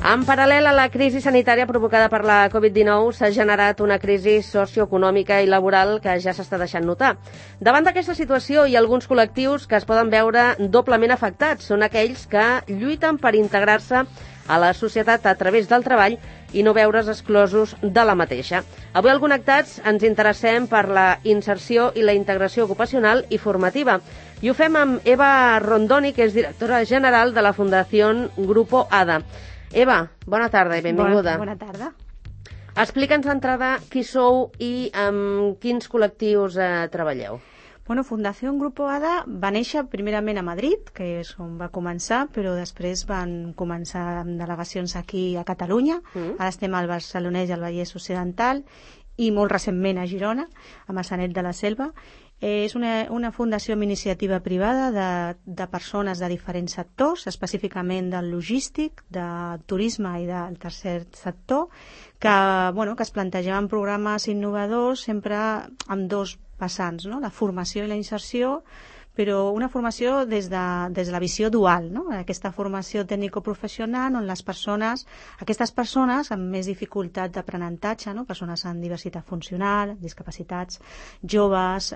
En paral·lel a la crisi sanitària provocada per la Covid-19 s'ha generat una crisi socioeconòmica i laboral que ja s'està deixant notar. Davant d'aquesta situació hi ha alguns col·lectius que es poden veure doblement afectats. Són aquells que lluiten per integrar-se a la societat a través del treball i no veure's exclosos de la mateixa. Avui al Connectats ens interessem per la inserció i la integració ocupacional i formativa. I ho fem amb Eva Rondoni, que és directora general de la Fundació Grupo ADA. Eva, bona tarda i benvinguda. Bona tarda. Explica'ns d'entrada qui sou i amb quins col·lectius treballeu. Bueno, Fundació Grupo ADA va néixer primerament a Madrid, que és on va començar, però després van començar amb delegacions aquí a Catalunya. Ara estem al Barcelonès i al Vallès Occidental i molt recentment a Girona, a Maçanet de la Selva. És una fundació amb iniciativa privada de persones de diferents sectors, específicament del logístic, del turisme i del tercer sector, que es plantejaven programes innovadors sempre amb dos vessants, no? La formació i la inserció, però una formació des de la visió dual, no? Aquesta formació tècnico-professional on aquestes persones amb més dificultat d'aprenentatge, no? Persones amb diversitat funcional, discapacitats, joves,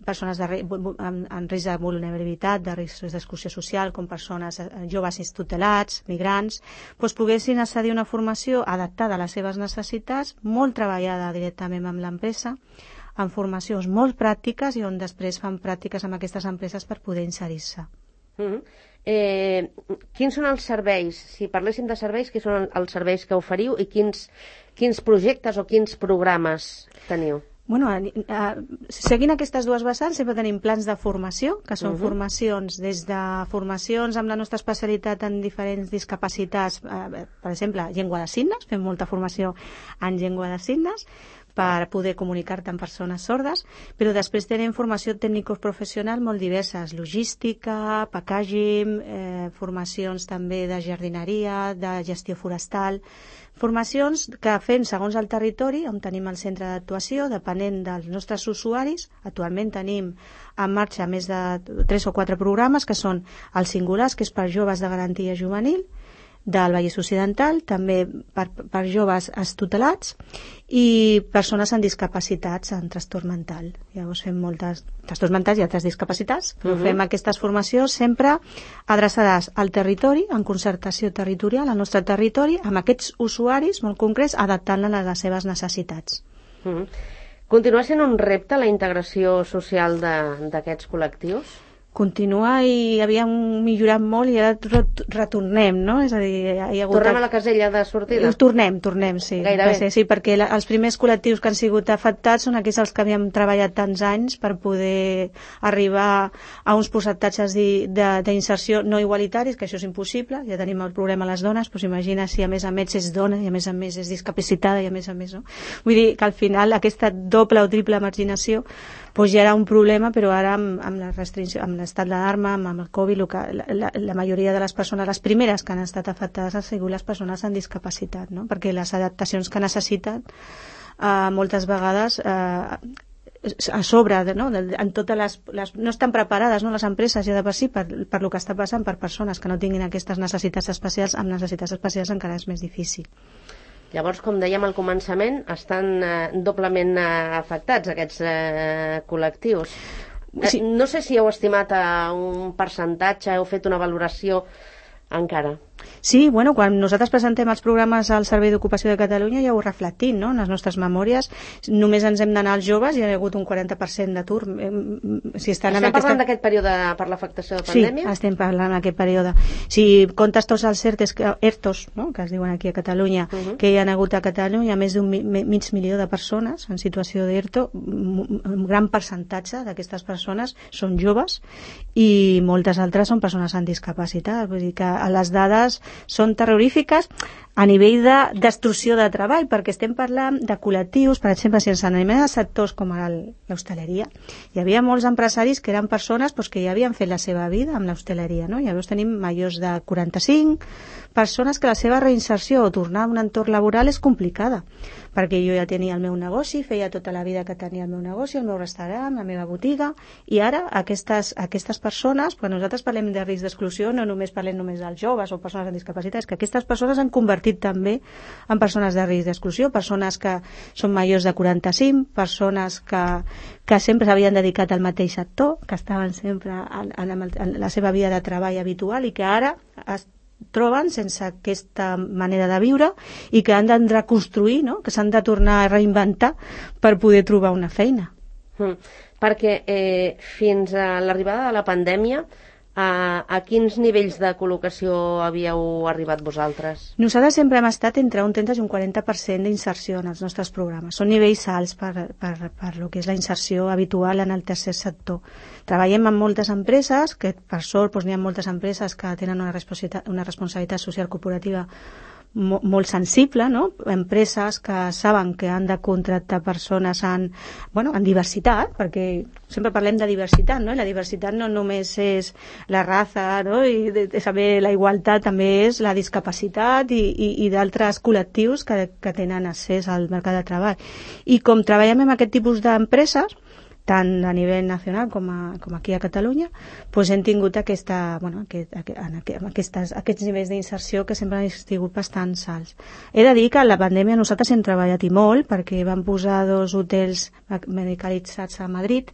persones en risc de vulnerabilitat, de risc d'exclusió social, com persones joves tutelats, migrants, poguessin accedir a una formació adaptada a les seves necessitats, molt treballada directament amb l'empresa, en formacions molt pràctiques i on després fan pràctiques amb aquestes empreses per poder inserir-se. Quins són els serveis? Si parléssim de serveis, quins són els serveis que oferiu i quins projectes o quins programes teniu? Seguint aquestes dues vessants sempre tenim plans de formació, que són formacions des de formacions amb la nostra especialitat en diferents discapacitats, per exemple, llengua de signes, fem molta formació en llengua de signes, per poder comunicar-te amb persones sordes, però després tenim formació tècnico-professional molt diverses, logística, packaging, formacions també de jardineria, de gestió forestal, formacions que fem segons el territori, on tenim el centre d'actuació, depenent dels nostres usuaris. Actualment tenim en marxa més de 3 o 4 programes, que són els singulars, que és per joves de garantia juvenil, del Vallès Occidental, també per joves tutelats i persones amb discapacitats, en trastorn mental. Llavors fem moltes trastorns mentals i altres discapacitats, però fem aquestes formacions sempre adreçades al territori, en concertació territorial, al nostre territori, amb aquests usuaris molt concrets, adaptant-les a les seves necessitats. Continua sent un repte la integració social d'aquests col·lectius? Continua i havíem millorat molt i ara retornem, no? És a dir, tornem a la casella de sortida? Tornem, sí. Gairebé. Sí, perquè els primers col·lectius que han sigut afectats són aquells els que havíem treballat tants anys per poder arribar a uns percentatges d'inserció no igualitaris, que això és impossible, ja tenim el problema a les dones, doncs imagina si a més és dona i a més és discapacitada i a més, no? Vull dir que al final aquesta doble o triple marginació ja era un problema, però ara amb la restricció, amb l'estat d'alarma, amb el Covid, la majoria de les persones, les primeres que han estat afectades han sigut les persones amb discapacitat, no? Perquè les adaptacions que necessiten moltes vegades a sobre, no? En totes no estan preparades, no? Les empreses ja de per si per el que està passant per persones que no tinguin aquestes necessitats especials, amb necessitats especials encara és més difícil. Llavors, com dèiem al començament, estan doblement afectats aquests col·lectius. Sí. No sé si heu estimat un percentatge, heu fet una valoració encara. Sí, quan nosaltres presentem els programes al Servei d'Ocupació de Catalunya ja ho reflectim, no? En les nostres memòries només ens hem d'anar als joves i hi ha hagut un 40% d'atur. Estem parlant d'aquest període per l'afectació de pandèmia? Sí, estem parlant d'aquest període. Si comptes tots els ERTOs, no? Que es diuen aquí a Catalunya, que hi ha hagut a Catalunya més d'un mig milió de persones en situació d'ERTO, un gran percentatge d'aquestes persones són joves i moltes altres són persones amb discapacitat. Vull dir que les dades són terrorífiques a nivell de destrucció de treball, perquè estem parlant de col·lectius, per exemple, si ens anem a sectors com l'hostaleria, hi havia molts empresaris que eren persones que ja havien fet la seva vida amb l'hostaleria, no? Llavors tenim majors de 45, persones que la seva reinserció o tornar a un entorn laboral és complicada, perquè jo ja tenia el meu negoci, feia tota la vida que tenia el meu negoci, el meu restaurant, la meva botiga, i ara aquestes persones, quan nosaltres parlem de risc d'exclusió, no només parlem només dels joves o persones amb discapacitats, que aquestes persones han convertit també en persones de risc d'exclusió, persones que són majors de 45, persones que sempre s'havien dedicat al mateix sector, que estaven sempre en la seva vida de treball habitual i que ara es troben sense aquesta manera de viure i que han de reconstruir, no? Que s'han de tornar a reinventar per poder trobar una feina. Perquè fins a l'arribada de la pandèmia, a quins nivells de col·locació havíeu arribat vosaltres? Nosaltres sempre hem estat entre un 30 i un 40% d'inserció en els nostres programes. Són nivells alts per lo que és la inserció habitual en el tercer sector. Treballem amb moltes empreses, que per sort n'hi ha moltes empreses que tenen una responsabilitat social corporativa molt sensible, no? Empreses que saben que han de contractar persones en diversitat, perquè sempre parlem de diversitat, no? I la diversitat no només és la raça, no? I saber la igualtat també és la discapacitat i d'altres col·lectius que tenen accés al mercat de treball. I com treballem amb aquest tipus d'empreses, tant a nivell nacional com aquí a Catalunya, doncs hem tingut aquests nivells d'inserció que sempre han sigut bastant alts. He de dir que en la pandèmia nosaltres hem treballat i molt, perquè vam posar 2 hotels medicalitzats a Madrid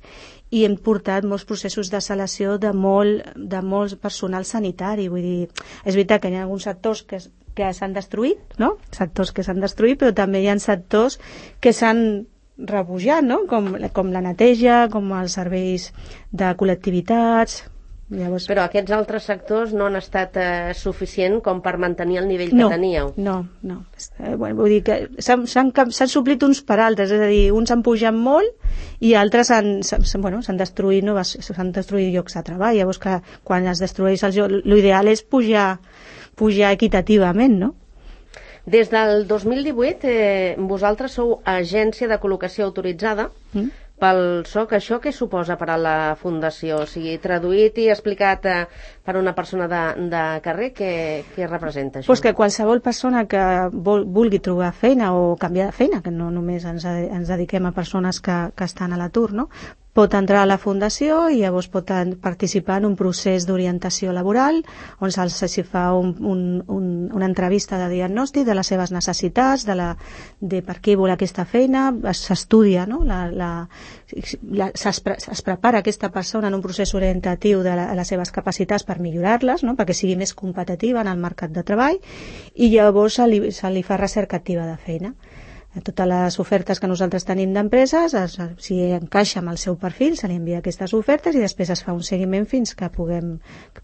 i hem portat molts processos de selecció de molt personal sanitari. Vull dir, és veritat que hi ha alguns sectors que s'han destruït, no? Sectors que s'han destruït, però també hi ha sectors que s'han rebujat, no? Com la neteja, com els serveis de col·lectivitats. Llavors... Però aquests altres sectors no han estat suficient com per mantenir el nivell que teníeu. No. Vull dir que s'han suplit uns per altres, és a dir, uns han pujat molt i altres s'han destruït llocs de treball. Llavors, que quan es destrueix l'ideal és pujar equitativament, no? Des del 2018 vosaltres sou agència de col·locació autoritzada pel SOC. Això què suposa per a la Fundació? O sigui, traduït i explicat per una persona de carrer, què representa això? Pues que qualsevol persona que vulgui trobar feina o canviar de feina, que no només ens dediquem a persones que estan a l'atur, no? Pot entrar a la Fundació i llavors pot participar en un procés d'orientació laboral on s'hi fa una entrevista de diagnòstic de les seves necessitats, de per què vol aquesta feina, s'estudia, no? Es prepara aquesta persona en un procés orientatiu de les seves capacitats per millorar-les, no? Perquè sigui més competitiva en el mercat de treball i llavors se li fa recerca activa de feina. Totes les ofertes que nosaltres tenim d'empreses, si encaixa amb el seu perfil, se li envia aquestes ofertes i després es fa un seguiment fins que puguem,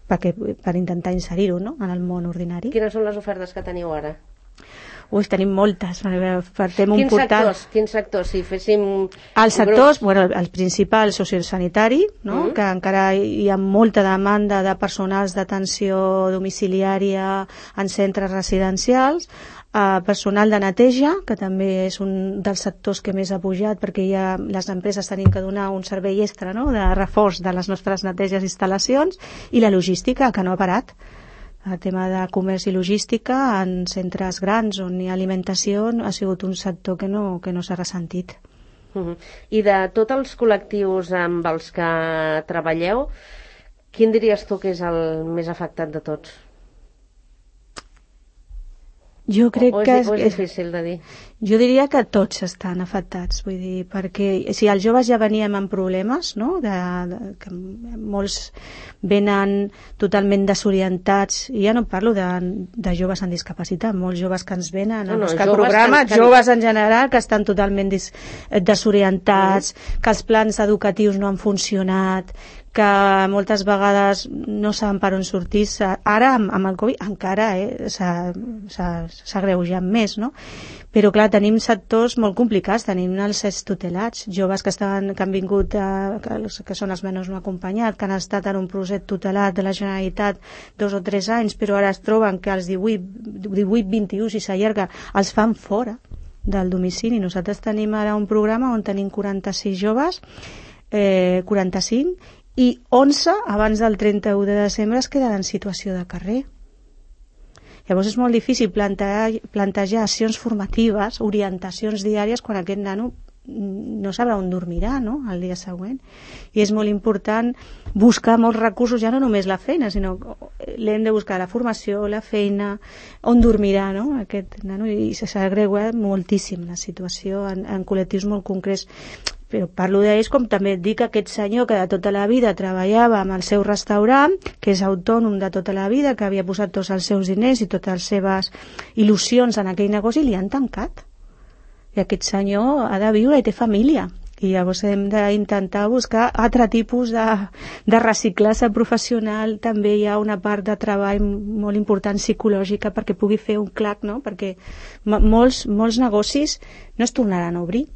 per intentar inserir-ho, no? En el món ordinari. Quines són les ofertes que teniu ara? Tenim moltes. Partem un portal... Quins sectors? Si féssim... Els sectors, el principal sociosanitari, no? Que encara hi ha molta demanda de personals d'atenció domiciliària en centres residencials, personal de neteja, que també és un dels sectors que més ha pujat perquè les empreses tenim que donar un servei extra, no? De reforç de les nostres neteges i instal·lacions, i la logística, que no ha parat. El tema de comerç i logística en centres grans on hi ha alimentació ha sigut un sector que no s'ha ressentit. I de tots els col·lectius amb els que treballeu, quin diries tu que és el més afectat de tots? Jo crec que és difícil de dir. Jo diria que tots estan afectats, vull dir, perquè si els joves ja veníem amb problemes, no? Que molts venen totalment desorientats, i ja no parlo de joves amb discapacitat, molts joves que ens venen a buscar programes, joves en general que estan totalment desorientats, que els plans educatius no han funcionat, que moltes vegades no saben per on sortir. Ara amb el Covid encara s'ha agreujat més, no? Però clar, tenim sectors molt complicats, tenim els extutelats, joves que han vingut, que són els menors no acompanyats, que han estat en un procés tutelat de la Generalitat 2 o 3 anys, però ara es troben que als 18-21, si s'allarga, els fan fora del domicili. Nosaltres tenim ara un programa on tenim 46 joves, 45, i 11 abans del 31 de desembre es queden en situació de carrer. Llavors és molt difícil plantejar accions formatives, orientacions diàries, quan aquest nano no sabrà on dormirà, no?, el dia següent. I és molt important buscar molts recursos, ja no només la feina, sinó l'hem de buscar la formació, la feina, on dormirà, no?, aquest nano, i s'agrega moltíssim la situació en col·lectius molt concrets. Però parlo d'ells com també et dic aquest senyor que de tota la vida treballava amb el seu restaurant, que és autònom de tota la vida, que havia posat tots els seus diners i totes les seves il·lusions en aquell negoci, i li han tancat. I aquest senyor ha de viure i té família. I llavors hem d'intentar buscar altre tipus de reciclatge professional. També hi ha una part de treball molt important psicològica perquè pugui fer un clac, no? Perquè molts negocis no es tornaran a obrir.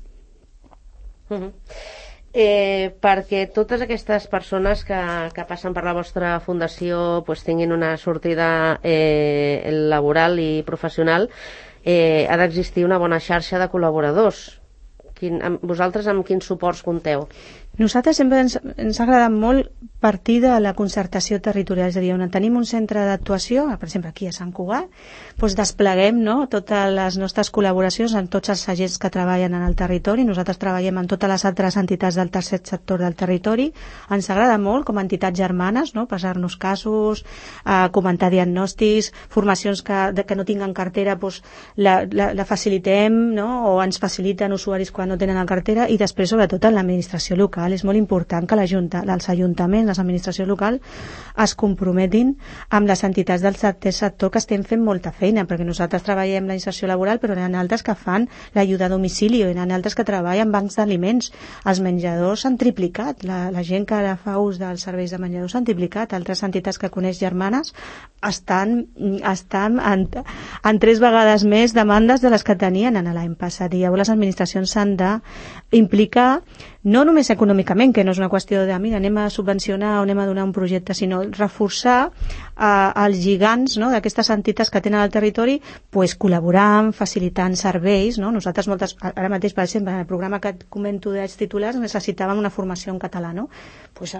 Perquè totes aquestes persones que passen per la vostra fundació pues, tinguin una sortida laboral i professional, ha d'existir una bona xarxa de col·laboradors. Vosaltres amb quins suports compteu? Nosaltres sempre ens ha agradat molt partir de la concertació territorial, és a dir, on tenim un centre d'actuació, per exemple aquí a Sant Cugat, doncs despleguem, no, totes les nostres col·laboracions amb tots els agents que treballen en el territori. Nosaltres treballem amb totes les altres entitats del tercer sector del territori. Ens agrada molt com a entitats germanes, no, passar-nos casos, comentar diagnòstics, formacions que no tinguen cartera, doncs la facilitem, no, o ens faciliten usuaris quan no tenen la cartera, i després sobretot en l'administració local. És molt important que els ajuntaments, les administracions locals es comprometin amb les entitats del tercer sector, que estem fent molta feina, perquè nosaltres treballem la inserció laboral, però hi ha altres que fan l'ajuda a domicili, hi ha altres que treballen en bancs d'aliments. Els menjadors s'han triplicat, la gent que ara fa ús dels serveis de menjadors s'han triplicat. Altres entitats que coneix germanes estan en 3 vegades més demandes de les que tenien en l'any passat, i llavors les administracions s'han d'implicar, no només econòmicament, que no és una qüestió de mira, anem a subvencionar o anem a donar un projecte, sinó reforçar els gigants, no, d'aquestes entitats que tenen al territori, pues, col·laborant, facilitant serveis, no? Nosaltres ara mateix, per exemple, en el programa que et comento dels titulars, necessitàvem una formació en català, no? Pues,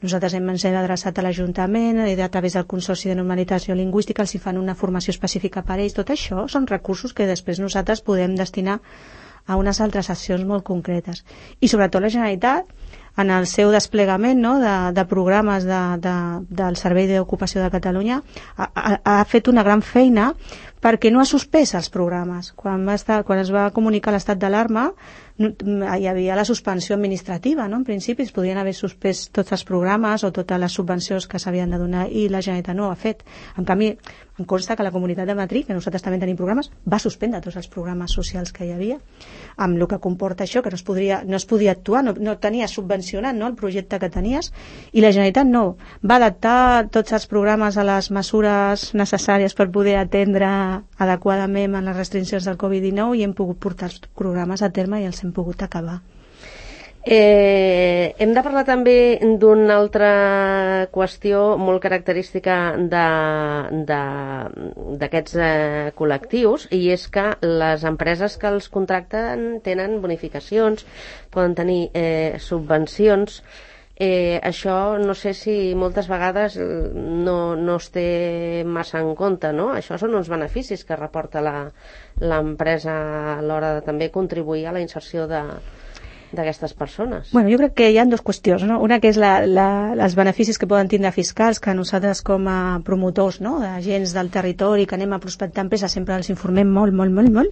nosaltres ens hem adreçat a l'Ajuntament i a través del Consorci de Normalització Lingüística els hi fan una formació específica per a ells. Tot això són recursos que després nosaltres podem destinar a unes altres accions molt concretes. I sobretot la Generalitat, en el seu desplegament, no, de programes del Servei d'Ocupació de Catalunya, ha fet una gran feina perquè no ha suspès els programes. Quan es va comunicar l'estat d'alarma, hi havia la suspensió administrativa, no? En principi es podien haver suspès tots els programes o totes les subvencions que s'havien de donar, i la Generalitat no ho ha fet. En canvi, em consta que la Comunitat de Madrid, que nosaltres també tenim programes, va suspendre tots els programes socials que hi havia, amb el que comporta això, que no es podia actuar, no tenies subvencionat, no, el projecte que tenies, i la Generalitat no. Va adaptar tots els programes a les mesures necessàries per poder atendre adequadament en les restriccions del Covid-19, i hem pogut portar els programes a terme i els hem pogut acabar. Hem de parlar també d'una altra qüestió molt característica d'aquests col·lectius, i és que les empreses que els contracten tenen bonificacions, poden tenir subvencions. Això no sé si moltes vegades no es té massa en compte, no? Això són uns beneficis que reporta l'empresa a l'hora de també contribuir a la inserció d'aquestes persones. Bueno, jo crec que hi ha 2 qüestions, no? Una que és els beneficis que poden tindre fiscals, que nosaltres com a promotors, no, d'agents del territori que anem a prospectar empreses sempre els informem molt,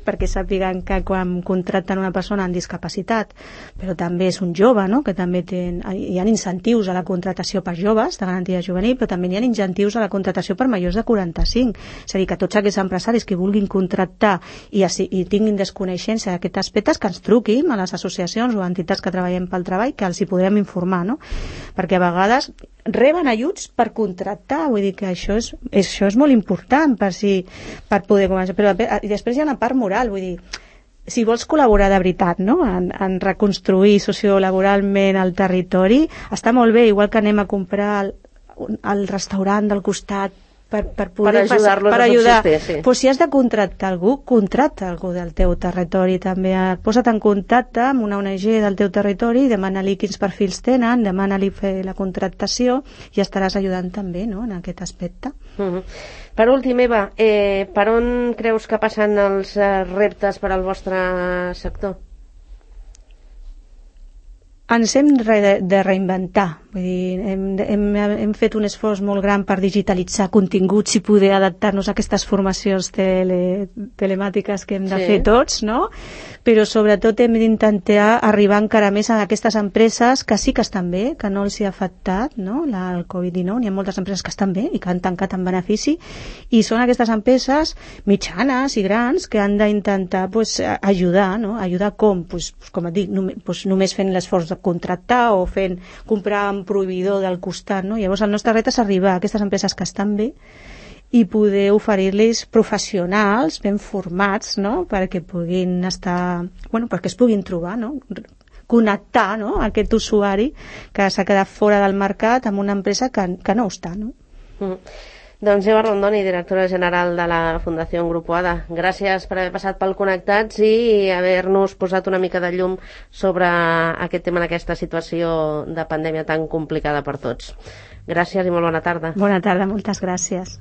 perquè sàpiguen que quan contracten una persona amb discapacitat, però també és un jove, no, que també hi ha incentius a la contratació per joves de garantia juvenil, però també hi ha incentius a la contratació per majors de 45. És a dir, que tots aquests empresaris que vulguin contractar i tinguin desconeixença d'aquests aspectes, que ens truquin a les associacions o entitats que treballem pel treball, que els hi podrem informar, no? Perquè a vegades reben ajuts per contractar, vull dir que això és molt important per poder començar. Però i després hi ha una part moral, vull dir, si vols col·laborar de veritat, no, en reconstruir sociolaboralment el territori, està molt bé, igual que anem a comprar al restaurant del costat per poder ajudar-los per a ajudar. subsistir, sí. Pues si has de contractar algú, contracta algú del teu territori també. Posa't en contacte amb una ONG del teu territori, demana-li quins perfils tenen, demana-li fer la contractació i estaràs ajudant també, no?, en aquest aspecte. Per últim, Eva, per on creus que passen els reptes per al vostre sector? Ens hem de reinventar. Vull dir, hem fet un esforç molt gran per digitalitzar continguts i poder adaptar-nos a aquestes formacions telemàtiques que hem de fer tots, no? Però sobretot hem d'intentar arribar encara més a aquestes empreses que sí que estan bé, que no els hi ha afectat, no?, el Covid-19. N'hi ha moltes empreses que estan bé i que han tancat en benefici, i són aquestes empreses mitjanes i grans que han d'intentar ajudar, no? Ajudar com? Com et dic, només fent l'esforç de contractar o comprar un proveïdor del costat, no? Llavors el nostre repte és arribar a aquestes empreses que estan bé i poder oferir-los professionals ben formats, no?, perquè puguin estar, perquè es puguin trobar, no?, connectar, no?, aquest usuari que s'ha quedat fora del mercat amb una empresa que no ho està, no? Doncs Eva Rondoni, directora general de la Fundació Grupo ADA, gràcies per haver passat pel Connectats i haver-nos posat una mica de llum sobre aquest tema en aquesta situació de pandèmia tan complicada per tots. Gràcies i molt bona tarda. Bona tarda, moltes gràcies.